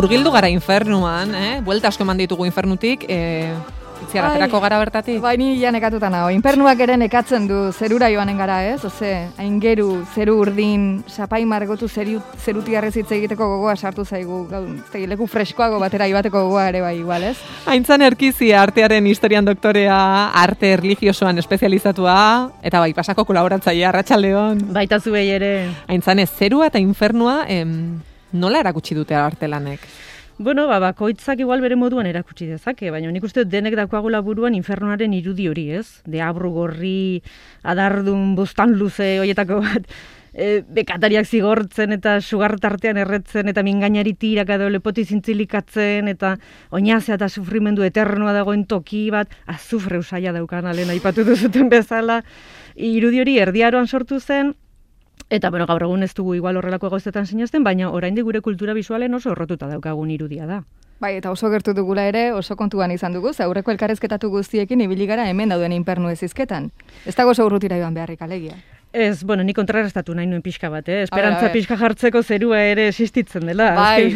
murgildu gara infernuan, buelta asko eman ditugu infernutik, itziar, aterako gara bertatik? Bai, ni ja nekatuta nago. Infernuak ere nekatzen du zerura joanen gara, ez? Oze, aingeru, zeru urdin, sapai margotu zeruti arrezitze egiteko gogoa sartu zaigu. Leku freskoago batera ibateko gogoa ere bai, igual, ez? Aintzane Erkizia, artearen historian doktorea, arte erlijiosoan espezializatua, eta bai, pasako kolaboratzailea, Arratsaldeon. Baita zuei ere. Aintzane, zerua eta infernua, nola erakutsi dute artelanek? Bueno, bakoitzak igual bere moduan erakutsi dezake, baina nik uste denek daukagula buruan infernuaren irudi hori, ez? Deabru gorri, adardun, bostan luze, hoietako bat, bekatariak zigortzen eta sugar tartean erretzen eta mingainari tirak edo lepoti zintzilikatzen eta oinazea eta sufrimendu eternoa dagoen toki bat, azufre usaia daukan alena aipatu duzuten bezala, irudi hori erdiaroan sortu zen. Eta, bueno, gaur egun ez dugu igual horrelako gauzetan sinazten, baina oraindik gure kultura bisualen oso errotuta daukagun irudia da. Bai, eta oso gertu dugula ere, oso kontuan izan dugu, aurreko elkarrezketatu guztiekin ibili gara hemen dauden infernu ez izketan. Ez dago oso urrutira joan beharrik alegia. Ez, bueno, ni kontrarrestatu nahi nuen pixka bat, Esperantza pixka jartzeko zerua ere existitzen dela. Bai,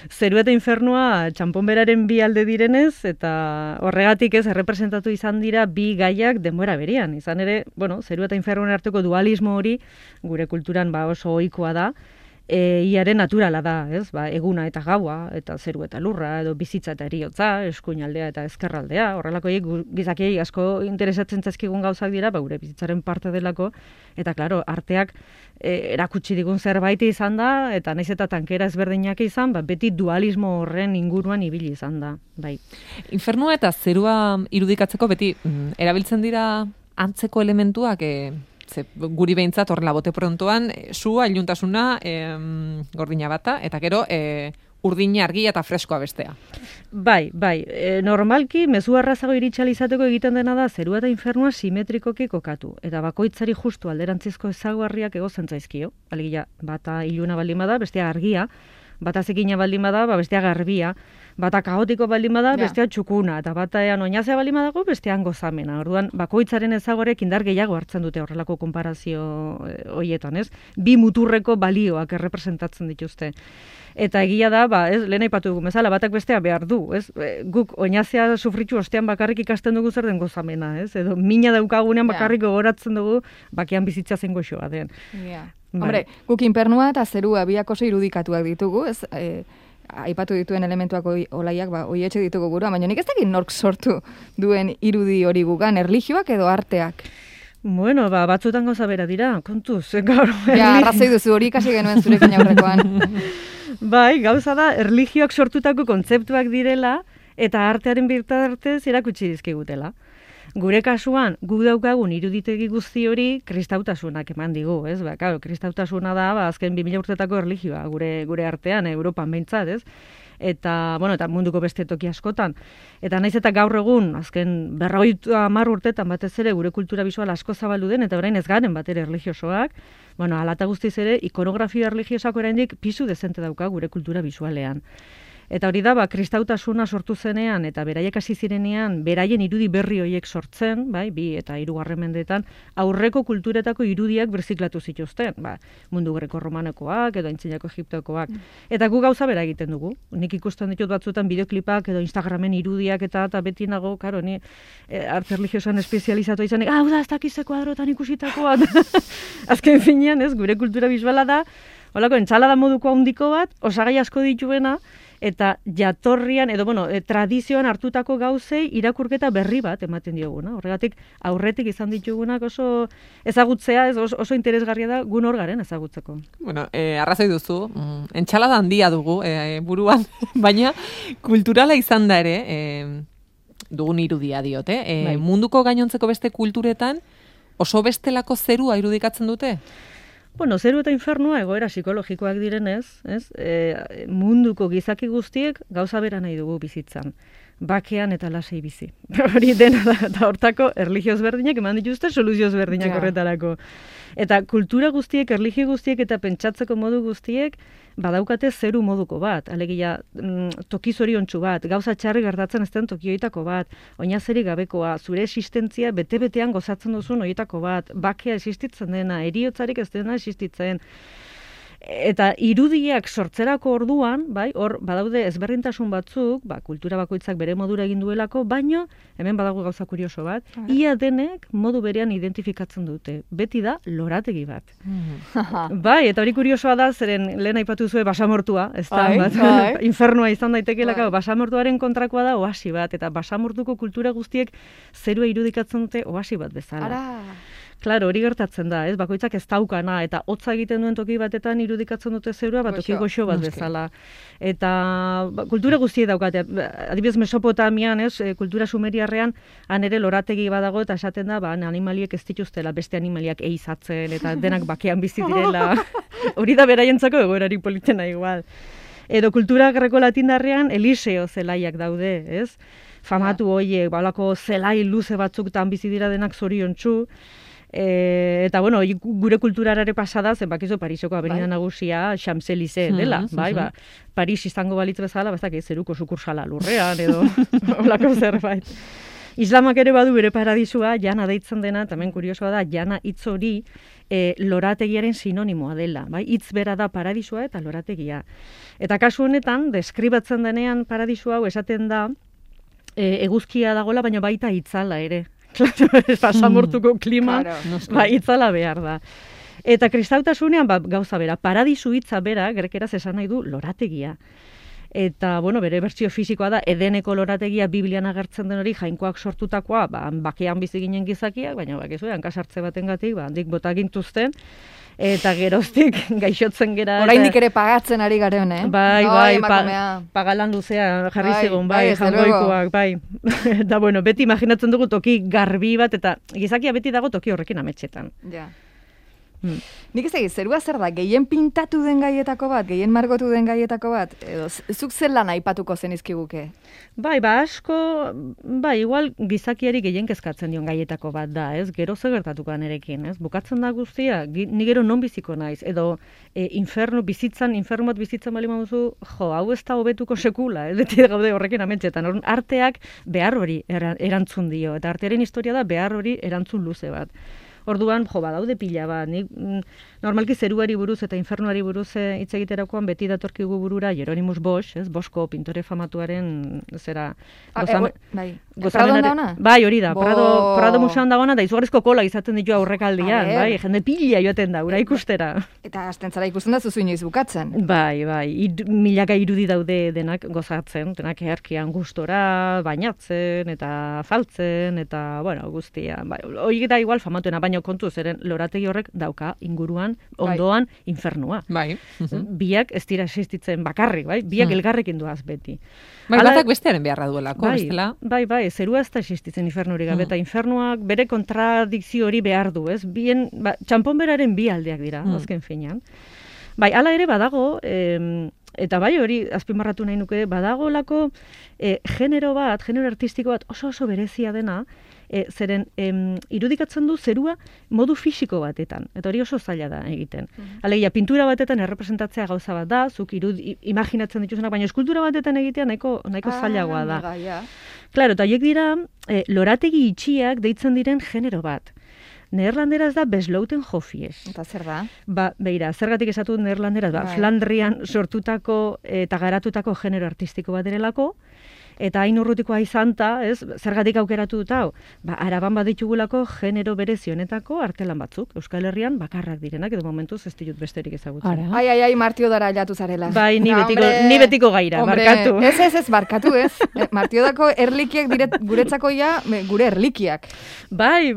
zerua eta infernua txanponberaren bi alde direnez, eta horregatik ez, errepresentatu izan dira bi gaiak denbora berean. Izan ere, bueno, zerua eta infernuen arteko dualismo hori, gure kulturan oso ohikoa da, iaren naturala da, ez? Eguna eta gaua, eta zeru eta lurra, edo bizitza eta heriotza, eskuinaldea eta ezkerraldea, horrelako gizakiei asko interesatzen zaizkigun gauzak dira, gure bizitzaren parte delako, eta klaro, arteak erakutsi digun zerbait izan da, eta naiz eta tankera ezberdinak izan, beti dualismo horren inguruan ibili izan da, bai. Infernua eta zerua irudikatzeko beti erabiltzen dira antzeko elementuak, guri behintzat horrela bote prontoan, sua, iluntasuna, gordina bata, eta gero urdina argia eta freskoa bestea. Bai, normalki mezu arrazago iritxalizateko egiten dena da zerua eta infernua simetrikoki kokatu, eta bakoitzari justu alderantzizko ezaguarriak egozen zaizkio, alegia bata iluna baldin bada, bestea argia, bata zekina baldin bada, bestea garbia, bata kaotiko baldin bada, bestea txukuna, eta bataean oinazea baldin badago, bestean gozamena. Orduan, bakoitzaren ezagorek indar gehiago hartzen dute horrelako konparazio hoietan, ez? Bi muturreko balioak errepresentatzen dituzte. Eta egia da, lehen aipatu dugu bezala, batak bestea behar du, ez? Guk oinazea sufritu ostean bakarrik ikasten dugu zer den gozamena, ez? Edo mina daukagunean bakarrik gogoratzen dugu, bakean bizitza zen goxoa den. Hombre, guk infernua eta zerua biak oso irudikatuak ditugu, ez? Aipatu dituen elementuak olaiak oietxe ditugu gura, baina nik ez dakit nork sortu duen irudi hori gugan, erlijioak edo arteak? Bueno, batzutan gauza bera dira, kontuz, gaur. Arrazoi duzu hori ikasi genuen zurekin aurrekoan. Bai, gauza da, erlijioak sortutako kontzeptuak direla eta artearen bitartez erakutsi dizkigutela. Gure kasuan, gu daukagun iruditegi guzti hori kristautasunak eman digu, ez? Claro, kristautasuna da, azken 2000 urtetako erlijioa gure artean, Europan behintzat, ez? Eta munduko beste toki askotan. Eta naiz eta gaur egun, azken 50 urtetan batez ere gure kultura bisual asko zabaldu den, eta orain ez garen bat ere erlijiosoak, ala eta guztiz ere, ikonografia erlijiosak oraindik pisu dezente dauka gure kultura bisualean. Eta hori da, kristautasuna sortu zenean eta beraiek hasi zirenean, beraien irudi berri horiek sortzen, bai, 2 eta 3 mendeetan, aurreko kulturetako irudiak birziklatu zituzten, mundu greko-romanekoak edo aintzinako egiptokoak. Eta gu gauza bera egiten dugu. Nik ikusten ditut batzuetan bideoklipak edo Instagramen irudiak eta beti nago, karo, ni arte erlijiosoan espezializatu izanik, hau da, ez dakize kuadrotan ikusitakoa. Azken finean, ez, gure kultura bisuala da, holako, entsalada moduko handiko bat, osagai asko dituena, eta jatorrian, edo, tradizioan hartutako gauzei irakurketa berri bat ematen dioguna. Horregatik, aurretik izan ditugunak oso ezagutzea, oso interesgarria da gun hor garen ezagutzeko. Bueno, arrazoi duzu, entsalada handia dugu buruan, baina kulturala izan da ere, dugun irudia diote, munduko gainontzeko beste kulturetan oso bestelako zerua irudikatzen dute? Zeru eta infernua egoera psikologikoak direnez, munduko gizaki guztiek gauza bera nahi dugu bizitzan. Bakean eta lasai bizi. Hori dena da, eta hortako erlijioz berdinak eman dituzte soluzioz berdinak horretarako. Eta kultura guztiek, erlijio guztiek eta pentsatzeko modu guztiek badaukate zeru moduko bat. Alegia, toki zoriontsu bat, gauza txarri gertatzen ez den toki horietako bat, oinazeri gabekoa, zure existentzia bete-betean gozatzen duzun horietako bat, bakea existitzen dena, heriotzarik ez dena existitzen. Eta irudiak sortzerako orduan, bai, hor badaude ezberdintasun batzuk, kultura bakoitzak bere modura egin duelako, baino hemen badago gauza kurioso bat, ia denek modu berean identifikatzen dute. Beti da lorategi bat. Bai, eta hori kuriosoa da, zeren lehen aipatu zuen basamortua, ez da, infernua izan daitekelako, basamortuaren kontrakoa da oasi bat, eta basamortuko kultura guztiek zerua irudikatzen dute oasi bat bezala. Claro, hori gertatzen da, ez? Bakoitzak ez daukana, eta hotza egiten duen toki batetan irudikatzen dute zerua, toki goxo bat bezala. Eta kultura guztiek daukate, adibidez Mesopotamian, ez? Kultura sumeriarrean, han ere lorategi badago, eta esaten da, animaliek ez dituztela, beste animaliak eizatzen, eta denak bakean bizi direla. Hori da beraientzako egoerari politena igual. Edo kultura greko-latindarrean Eliseo zelaiak daude, ez? Famatu hoiek, balako zelai luze batzuktan bizi dira denak zoriontsu. Eta, bueno, gure kulturarare pasada, zen bakizu Pariseko avenida nagusia Champs-Élysées dela, Paris izango balitz bezala, bazak zeruko sukursala lurrean, edo olako zerbait. Islamak ere badu bere paradisua, jana deitzen dena, tamen kuriosoa da, jana hitz hori lorategiaren sinonimoa dela, bai? Hitz bera da paradisua eta lorategia. Eta kasu honetan, deskribatzen denean paradisua hau esaten da, eguzkia dagola, baina baita itzala ere. Claro, basamortuko kliman, itzala behar da. Eta kristautasunean, gauza bera, paradisu hitza bera, grekeraz esan nahi du lorategia. Eta, bueno, bere bertsio fisikoa da, Edeneko lorategia Biblian agertzen den hori, jainkoak sortutakoa, bakean bizi ginen gizakiak, baina bakizu, hankasartze batengatik, handik bota gintuzten, eta geroztik gaixotzen gera. Oraindik ere pagatzen ari garen, Bai, pagalan luzea jarri zegoen, jangoikoak, bai. Eta, bueno, beti imaginatzen dugu toki garbi bat, eta gizakia beti dago toki horrekin ametxetan. Ja. Nik ez egin, zerua zer da, gehien pintatu den gaietako bat, gehien margotu den gaietako bat, edo zuk zer lan aipatuko zenizkiguke? Bai, asko, igual gizakiari gehien kezkatzen dion gaietako bat da, ez? Gero zer gertatuko nerekin, ez? Bukatzen da guztia, ni gero non biziko naiz, edo infernu bat bizitzen bali maduzu, hau ez da hobetuko sekula, ez? Beti gaude horrekin ametxetan, arteak behar hori erantzun dio, eta artearen historia da behar hori erantzun luze bat. Orduan, badaude pila bat, normalki zeruari buruz eta infernuari buruz hitz egiterakoan beti datorkigu burura Jeronimus Bosch, ez, Boschko pintore famatuaren, zera... Pradon dauna? Bai, hori da, Prado museoan dagoena, da izugarrizko kola izaten ditu aurrekaldian, bai, jende pila joaten da, ura ikustera. Eta astentzara ikusten da zuzu inoiz bukatzen. Bai, milaka irudi daude denak gozatzen, denak eharkian gustora, bainatzen, eta faltzen, eta, bueno, guztia. Hori da igual famatuena, baina kontu zeren lorategi horrek dauka inguruan, ondoan, infernua. Bai. Biak ez dira existitzen bakarrik, bai? Biak elgarrekin doaz beti. Batak bestearen beharra duelako, bestela. Bai, zerua ez da existitzen infernuri gabe, eta infernuak bere kontradikzio hori behar du, ez? Bien, txanponberaren bi aldeak dira, azken finean. Bai, hala ere badago, eta bai hori azpimarratu nahi nuke, badagolako genero artistiko bat oso berezia dena, zeren irudikatzen du zerua modu fisiko batetan, eta hori oso zaila da egiten. Alegia, pintura batetan errepresentatzea gauza bat da, zuk imaginatzen dituzenak, baina eskultura batetan egitea nahiko zailagoa da. Claro, eta horiek dira lorategi itxiak deitzen diren genero bat. Neerlanderaz da Besloten-Hofjes. Eta zer da? Beira, zergatik esatu neerlanderaz, Flandrian sortutako eta garatutako genero artistiko bat direlako, eta hain urrutikoa izanta, ez, zergatik aukeratu dut hau, Araban baditugulako genero berezionetako artelan batzuk, Euskal Herrian bakarrak direnak, edo momentuz ez ditut besterik ezagutzen. Ai, Martiodara jatu zarela. Bai, ni betiko gaira, barkatu. Ez, barkatu, ez. Martiodako erlikiak guretzako gure erlikiak. Bai,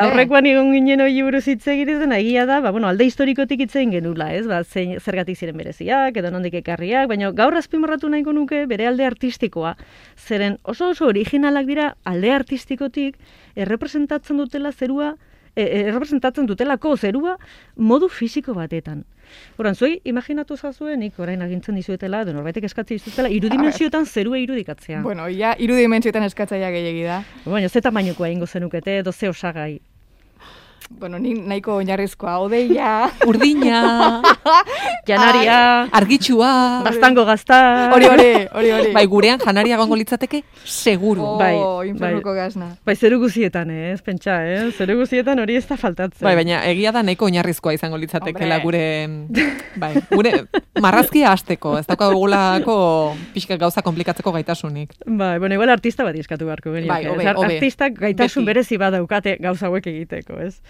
aurrekoan egon ginen hori buruz hitz egiten, egia da, alde historikotik hitz egin genula, ez, zergatik ziren bereziak, edo nondik ekarriak, baina gaur azpimarratu nahiko nuke bere alde artistikoa. Zeren oso originalak dira alde artistikotik errepresentatzen dutelako zerua modu fisiko batetan. Horan, zuei imaginatu zazuen, nik orain agintzen dizuetela, edo norbaitek eskatzen dizuetela, irudimentsioetan zerua irudikatzea. Bueno, irudimentsioetan eskatzaia gehiagi da. Baina, ze tamainokoa ingo zenukete, edo ze osagai. Bueno, ni nahiko oinarrizkoa, odeia. Urdina, Janaria, argitsua. gaztango gazta. Hori. Bai, gurean janaria gongo litzateke, seguru. Infernuko gazna. Bai, zeru guzietan, pentsa, zeru guzietan hori ez da faltatzen. Bai, baina egia da nahiko oinarrizkoa izango litzatekela gure marrazkia hasteko, ez daukagulako pixka gauza komplikatzeko gaitasunik. Bai, bueno, igual artista bat iskatu beharko genioke. Bai, hobe. Artistak gaitasun berezi bat daukate gauza hauek egiteko, ez?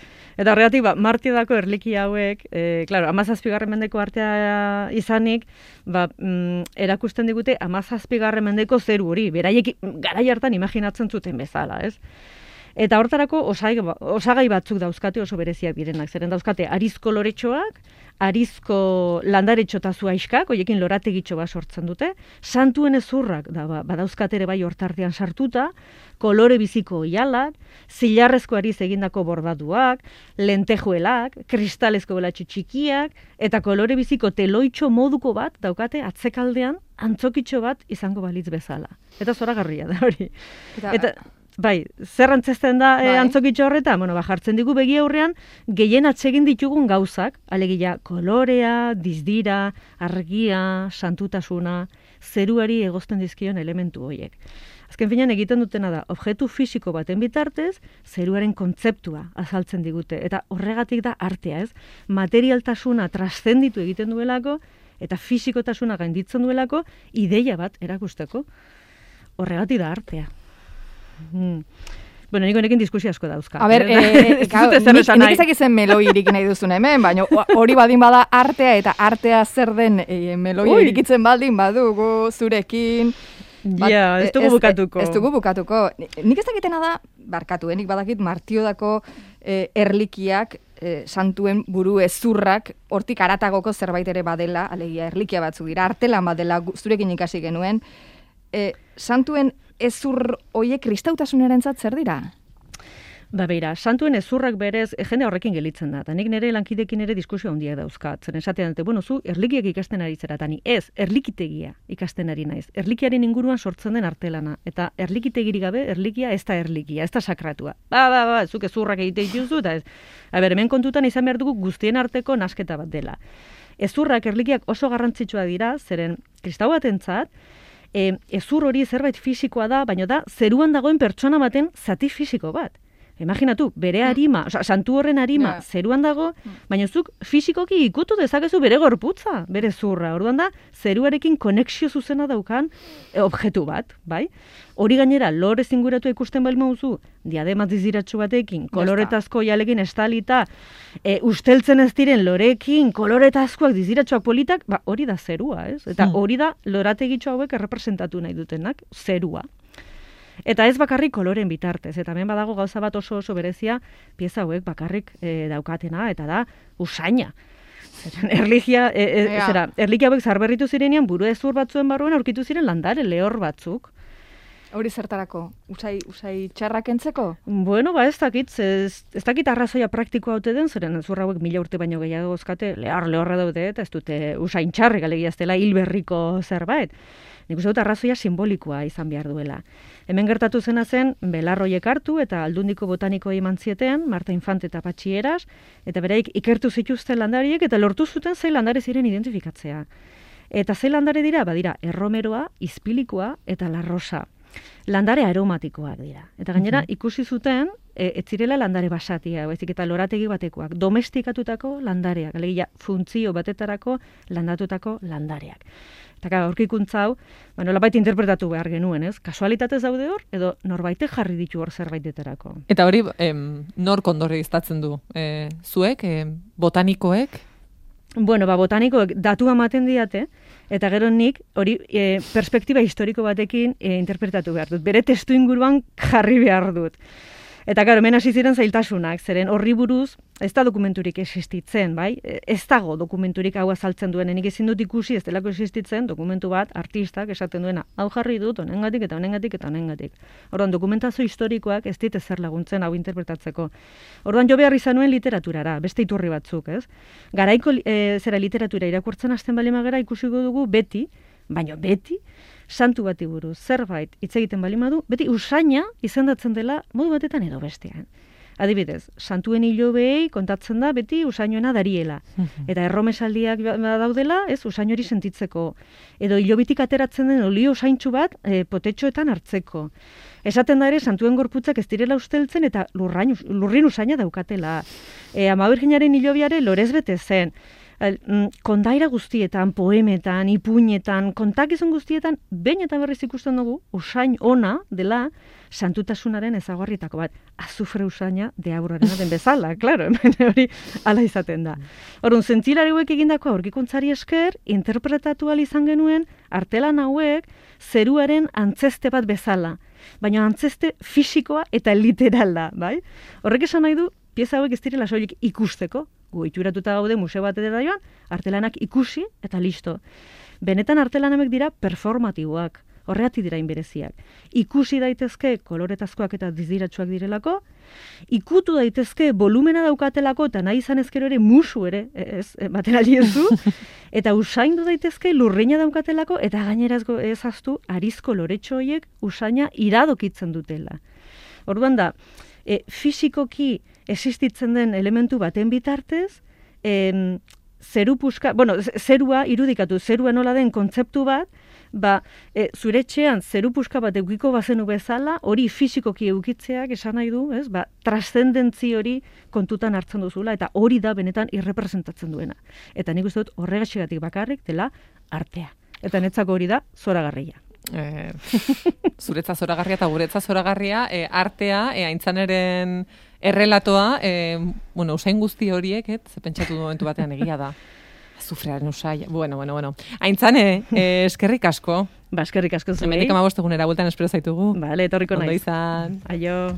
Eta horregatik, Martiodako erliki hauek, claro, 17. mendeko artea izanik, erakusten digute 17. mendeko zeru hori, beraiek garai hartan imaginatzen zuten bezala, ez? Eta hortarako osagai batzuk dauzkate oso bereziak direnak. Zeren dauzkate arizko loretxoak, arizko landaretxo eta zuaiskak, hoiekin lorategitxo bat sortzen dute, santuen ezurrak badauzkate ere bai hortartean sartuta, kolore biziko oialak, zilarrezko ariz egindako bordatuak, lentejuelak, kristalezko belatxo txikiak, eta kolore biziko teloitxo moduko bat daukate atzekaldean antzokitxo bat izango balitz bezala. Eta zoragarria da hori. Eta bai, zer antzesten da antzokitxo horretan? Bueno, jartzen digu begi aurrean gehien atsegin ditugun gauzak, alegia kolorea, dizdira, argia, santutasuna, zeruari egozten dizkion elementu horiek. Azken finean egiten dutena da, objektu fisiko baten bitartez, zeruaren kontzeptua azaltzen digute. Eta horregatik da artea, ez? Materialtasuna traszenditu egiten duelako, eta fisikotasuna gainditzen duelako, ideia bat erakusteko. Horregatik da artea. Bueno, nik honekin diskusio asko dauzka. A ber, nik ezakizen meloi irik nahi duzun hemen, baina hori badin bada artea, eta artea zer den meloi irikitzen baldin badugu zurekin. Ez dugu bukatuko. Ez dugu bukatuko. Nik ezakitena da, barkatu, nik badakit Martiodako erlikiak, santuen buru ezurrak, hortik aratagoko zerbait ere badela, alegia erlikia batzuk dira, artelan badela zurekin ikasi genuen, santuen ezur hoiek kristautasunarentzat zer dira? Ba beira, santuen ezurrak berez jende horrekin gelitzen da. Ta nik nire lankidekin ere diskusio handiak dauzkat. Zen esatean dute, bueno, zu erlikiak ikasten ari zera, tani ez, erlikitegia ikasten ari naiz. Erlikiaren inguruan sortzen den artelana. Eta erlikitegirik gabe, erlikia ez da erlikia, ez da sakratua. Zuk ezurrak egite dituzu, eta ez. Hemen kontutan izan behar dugu guztien arteko nasketa bat dela. Ezurrak, erlikiak oso garrantzitsua dira, zeren kristau batentzat, ezur hori zerbait fisikoa da, baina da zeruan dagoen pertsona baten zati fisiko bat. Imaginatu, bere harima, santu horren harima zeruan dago, baina zuk fisikoki ikutu dezakezu bere gorputza, bere zurra. Orduan da, zeruarekin konexio zuzena daukan objektu bat, bai? Hori gainera, lore zinguratu ikusten bali mauzu, diadema diziratxu batekin, koloretazko jalekin estalita, usteltzen ez diren lorekin, koloretazkoak diziratxoak politak, hori da zerua, ez? Eta hori da lorategitxo hauek errepresentatu nahi dutenak, zerua. Eta ez bakarrik koloren bitartez, eta hemen badago gauza bat oso berezia, pieza hauek bakarrik daukatena, eta da usaina. Erlikia hauek zarberritu zirenean, buru ezur batzuen barruan aurkitu ziren landare lehor batzuk. Hori zertarako? Usai txarrak entzeko? Bueno, ez dakit arrazoia praktikoa haute den, zeren ezur hauek 1000 urte baino gehiago gozkate, lehorra daude, eta ez dute usain txarrik, alegia ez dela hilberriko zerbait. Nik uste dut arrazoia simbolikoa izan behar duela. Hemen gertatu zena zen, belarroiek hartu eta aldundiko botaniko eman zietean, Marta Infante eta Patxi Eras, eta beraik ikertu zituzten landariek eta lortu zuten zei landare ziren identifikatzea. Eta zei landare dira, badira, erromeroa, izpilikoa eta larrosa. Landare aromatikoak dira. Eta gainera, ikusi zuten, ez zirela landare basatia, baizik eta lorategi batekoak, domestikatutako landareak, alegia funtzio batetarako landatutako landareak. Eta aurkikuntza hau, nolabait interpretatu behar genuen, ez? Kasualitatez daude hor, edo norbaitek jarri ditu hor zerbaitetarako. Eta hori, nor kondore iztatzen du? Zuek, botanikoek? Bueno, botanikoek datua ematen diate, eta gero nik hori perspektiba historiko batekin interpretatu behar dut. Bere testu inguruan jarri behar dut. Eta gero, hemen hasi ziren zailtasunak, zeren horri buruz ez da dokumenturik existitzen, bai? Ez dago dokumenturik hau azaltzen duen, nik ezin dut ikusi ez delako existitzen dokumentu bat artistak esaten duena, hau jarri dut, honengatik eta honengatik eta honengatik. Orduan, dokumentazio historikoak ez dit ezer laguntzen hau interpretatzeko. Orduan, jo behar izan nuen literaturara, beste iturri batzuk, ez? Garaiko literatura irakurtzen hasten bali magera ikusiko dugu beti, baina beti, santu bati buruz zerbait hitz egiten bali madu, beti usaina izendatzen dela modu batetan edo bestean. Adibidez, santuen hilobei kontatzen da beti usainoena dariela. Eta erromesaldiak daudela, ez, usain hori sentitzeko. Edo hilobitik ateratzen den olio usaintxu bat potetxoetan hartzeko. Esaten da ere, santuen gorputzak ez direla usteltzen eta lurrin usaina daukatela. Ama Birjinaren hilobiare lorez bete zen. Kondaira guztietan, poemetan, ipuinetan, kontakizun guztietan, behin eta berriz ikusten dugu, usain ona dela santutasunaren ezaugarrietako bat. Azufre usaina deaurrarena den bezala, klaro, hori hala izaten da. Orduan, zientzialari hauek egindako aurkikuntzari esker, interpretatu ahal izan genuen, artelan hauek zeruaren antzeste bat bezala. Baina antzeste fisikoa eta literala, bai? Horrek esan nahi du, pieza hauek ez direla soilik ikusteko, gu itxuratuta gaude museo batera joan, artelanak ikusi eta listo. Benetan artelanak dira performatiboak, horregatik dira inbereziak. Ikusi daitezke koloretazkoak eta diziratsuak direlako, ikutu daitezke volumena daukatelako eta nahi izan ezkero ere musu ere, materiali ez du, eta usaindu daitezke lurrina daukatelako eta gainera ez aztu arizko loretxo horiek usaina iradokitzen dutela. Orduan da, fisikoki existitzen den elementu baten bitartez, zerua irudikatu, zerua nola den kontzeptu bat, zure etxean zeru puska bat eukiko bazenu bezala, hori fisikoki eukitzeak esan nahi du, trascendentzi hori kontutan hartzen duzula, eta hori da benetan irrepresentatzen duena. Eta nik uste dut horregatik bakarrik dela artea. Eta netzako hori da zoragarria. Zuretza zoragarria eta guretza zoragarria, artea, aintzaneren errelatoa, usain guzti horiek, ze pentsatu momentu batean egia da. Azufrearen usai, bueno. Aintzane, eskerrik asko. Ba, eskerrik asko zuei. Hemenik 15 egunera bueltan espero zaitugu. Bale, etorriko naiz. Ondo izan. Aio.